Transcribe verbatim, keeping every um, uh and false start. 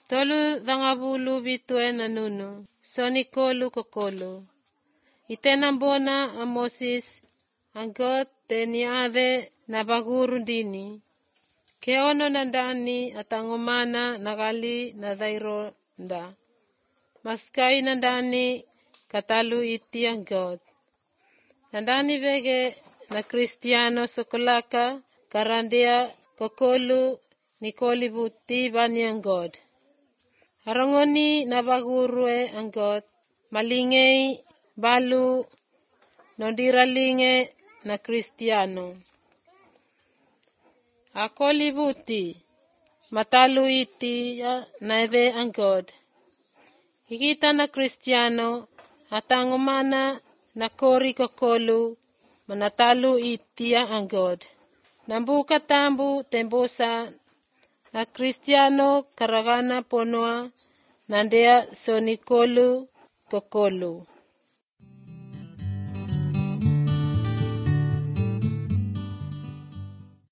Tolu dhangabulu bitue nanunu, sonikolu kokolu. Itenambona a Moses anggot teniade na baguru dini. Keono nandani atangomana nagali na dhaironda. Maskai nandani katalu iti anggot. Nandani vege na Kristiano sokolaka karandia kokolu nikoli buti bani anggot. Harangoni na bagurue anggot malingei balu nondiralinge na Kristiano. Akoli buti matalu iti ya naeve anggot. Hikita na Kristiano atangomana na kori kokolu manatalu iti ya anggot. Nambuka tambu tembosa na Kristiano karagana ponoa nandea sonikolu kokolu.